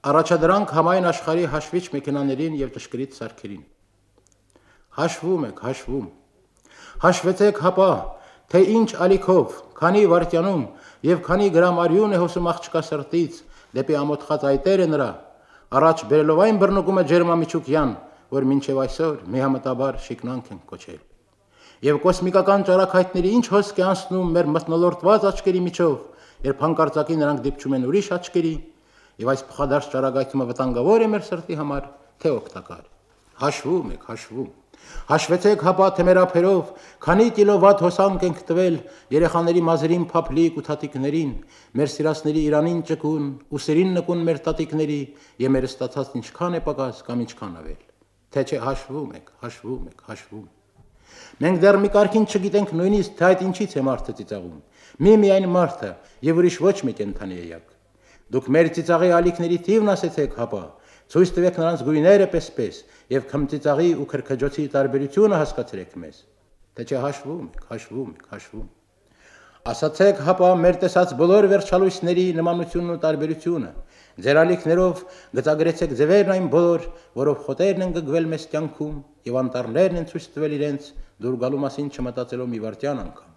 Առաջադրանք համայն աշխարհի հաշվիչ մեքենաներին եւ ճշգրիտ սարքերին։ Հաշվում եք, հաշվում։ Հաշվեցեք հապա, թե ինչ ալիքով, քանի վայրկյանում եւ քանի գրամ արյուն է հոսում աղջկա սրտից դեպի ամոթխած այտերը նրա, առաջ բերելով այն բռնկումը ջերմամիջուկյան, որ մինչև այսօր միամտաբար շիկնանք են կոչել։ Եվ կոսմիկական ճարակայթների ինչ հոսք է անցնում մեր մթնոլորտված աչքերի միջով, երբ հանկարծակի նրանք դիպչում են ուրիշ աչքերի, եւ այս փոխադարձ ճարակայթումը վտանգավոր է մեր սրտի համար, թե օգտակար։ Հաշվում եք, հաշվում։ Հաշվեցեք հապա թե մեր ափերով քանի կիլովատ հոսանք ենք տվել երեխաների մազերին փափլիկ ու թաթիկներին, մեր սիրասների Իրանին ճկուն, ուսերին նկուն մեր տատիկների եւ մեր ստացած ինչքան է պակաս կամ ինչքան ավել։ Թե չէ հաշվում եք, հաշվում եք, հաշվում։ Մենք դեռ մի կարգին չգիտենք նույնիսկ թե այդ ինչից է մարդը ծիծաղում։ Միայն մարդը եւ ուրիշ ոչ մի կենդանի էակ։ Դուք մեր ծիծաղի ալիքների թիվն ասեցեք հապա, ցույց տվեք նրանց գույները պես եւ քմծիծաղի ու քրքջոցի տարբերությունը հասկացրեք մեզ։ Թե չէ հաշվում եք, հաշվում եք, հաշվում։ Ասացեք հապա մեր տեսած բոլոր վերջալույսների նմանությունն ու տարբերությունը։ Ձեր ալիքներով գծագրեցեք ձևերն այն բոլոր, որով խոտերն են գգվել մեզ կյանքում եւ անտառներն են ցույց տվել իրենց դուր գալու մասին չմտածելով մի վարդյան անգամ։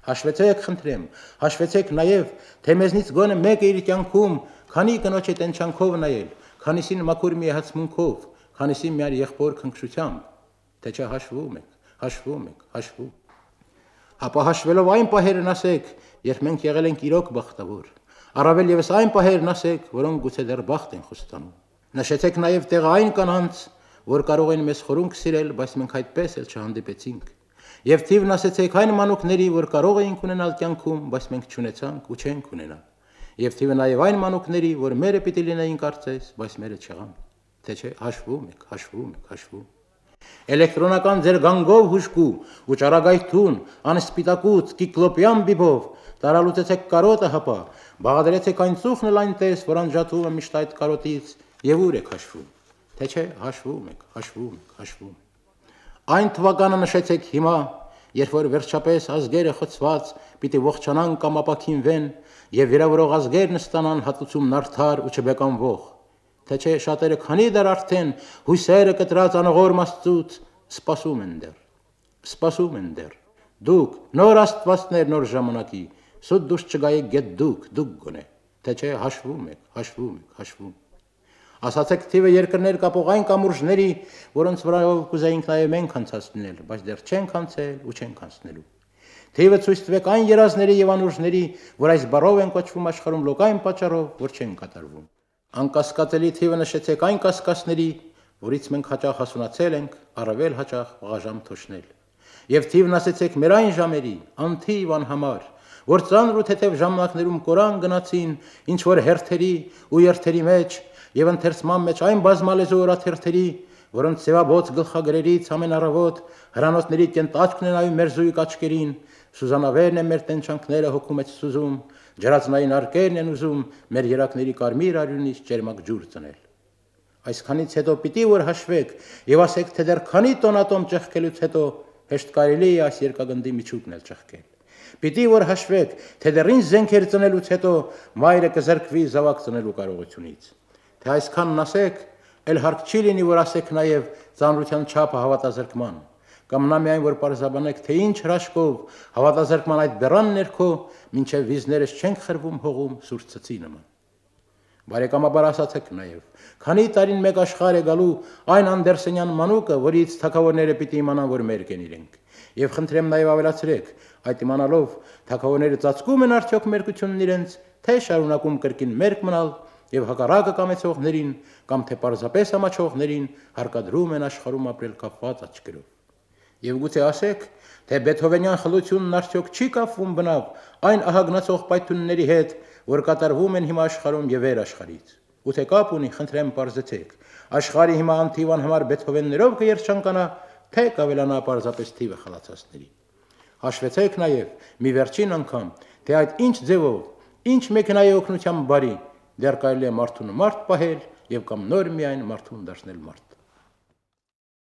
Հաշվեցեք, խնդրեմ, հաշվեցեք նաև, թե մեզնից գոնե մեկը իր կյանքում քանի կնոջ է տենչանքով նայել, քանիսին մաքուր միահացմունքով, քանիսին միար եղբոր քնքշությամբ, թե չէ հաշվում եք, հաշվում եք, հաշվում։ Հապա հաշվելով այն պահերն ասեք, երբ մենք եղել ենք իրոք բախտավոր, առավել եւս այն պահերն ասեք, որոնք գուցե դեռ բախտ են խոստանում։ Նշեցեք նաև տեղը այն կանանց, որ կարող են մեզ խորունկ սիրել, բայց մենք այդպես էլ չհանդիպեցինք։ Եվ թիվն ասեցեք այն մանուկների, որ կարող էինք ունենալ կյանքում, բայց մենք չունեցանք ու չենք ունենա։ Եվ թիվը նաև այն մանուկների, որ մերը պիտի լինեին կարծես, բայց մերը չեղան։ Թե չէ հաշվում եք, հաշվում եք, հաշվում։ Էլեկտրոնական ձեր գանգով հուշկու ու ճարագայթուն, անսպիտակուց, կիկլոպյան բիբով տարալուծեցեք կարոտը հապա, բաղադրեցեք այն ծուխն էլ այնտես, որ անջատվում է միշտ այդ կարոտից, եւ ուր եք հաշվում։ Թե չէ հաշվում եք, հաշվում եք, հաշվում։ Այն թվականը նշեցեք հիմա, երբ որ վերջապես ազգերը խոցված պիտի ողջանան կամ ապաքինվեն եւ վիրավորող ազգերն ստանան հատուցումն արդար ու չբեկանվող։ Թե չէ շատերը քանի դեռ արդեն հույսերը կտրած անողորմ Աստծուց սպասում են դեռ։ Դուք նոր աստվածներ նոր ժամանակի, սուտ դուշ չգայեք գետ դուք գոնե։ Թե չէ հաշվում եք, հաշվում եք, հաշվում։ Ասացեք թիվը երկրներ կապող այն կամուրջների, որոնց վրայով կուզեինք նաև մենք անցածնել, բայց դեռ չենք անցել ու չենք անցնելու։ Թիվը ցույց տվեք այն երազների եւ անուրջների, որ այս բառով են կոչվում աշխարհում լոկային պատճառով, որ չեն կատարվում։ Անկասկածելի թիվը նշեցեք այն կասկածների, որից մենք հաճախ հասունացել ենք, առավել հաճախ վաղաժամ թոշնել։ Եվ թիվն ասեցեք մեր այն ժամերի, անթիվ անհամար, որ ծանր ու թեթև ժամանակներում կորան գնացին, ինչ որ հերթերի ու երթերի մեջ եւ ընթերցման մեջ այն բազմալեզու օրաթերթերի, որոնց ծեվաբոց գլխագրերից ամեն առավոտ հրանոթների կենտաճկն են այում մեր զույգ աչքերին, սուզանավերն են մեր տենչանքները հոգու մեջ սուզում, ջրածնային արկերն են ուզում մեր երակների կարմիր արյունից ճերմակ ջուր ծնել։ Այսքանից հետո պիտի որ հաշվեք եւ ասեք, թե դեռ քանի տոնատոմ ճեղքելուց հետո հեշտ կարելի է այս երկագնդի միջուկն էլ ճեղքել։ Պիտի որ հաշվեք, թե դեռ ինչ զենքեր ծնելուց հետո մայրը կզրկվի զավակ ծնելու կարողությունից։ Թե այսքանն ասեք, էլ հարկ չի լինի, որ ասեք նաև ծանրության չափը հավատազրկման, կամ նա միայն որ պարզաբանեք, թե ինչ հրաշքով հավատազրկման այդ բեռան ներքո մինչև վիզներս չենք խրվում հողում սուրճ ցծի նման։ Բարեկամաբար ասացեք նաև, քանի տարին մեկ աշխարհ է գալու այն Անդերսենյան մանուկը, որից թագավորները պիտի իմանան, որ մերկ են իրենք։ Եվ խնդրեմ նաև ավելացրեք, այդ իմանալով թագավորները ծածկում են արդյոք մերկությունն իրենց, թե շարունակում կրկին մերկ մնալ եւ հակառակը կամեցողներին կամ թե պարզապես ամաչողներին հարկադրում են աշխարհում ապրել կապված աչքերով։ Եվ գուցե ասեք, թե Բեթհովենյան խլությունն արդյոք չի կապվում բնավ այն ահագնացող պայթյունների հետ, որ կատարվում են հիմա աշխարհում եւ վեր աշխարհից։ Գուցե կապ ունի, խնդրեմ պարզեցեք, աշխարհի հիմա անթիվան համար Բեթհովեններով կերչանկանա, թե կավելանա պարզապես թիվը խլացածների։ Հաշվեցեք նաեւ մի վերջին անգամ, թե այդ ինչ ձևով, ինչ մեքենայի օգնությամբ բարի դեռ կարելի է մարդուն մարդ պահել եւ կամ նոր միայն մարդուն դարձնել մարդ։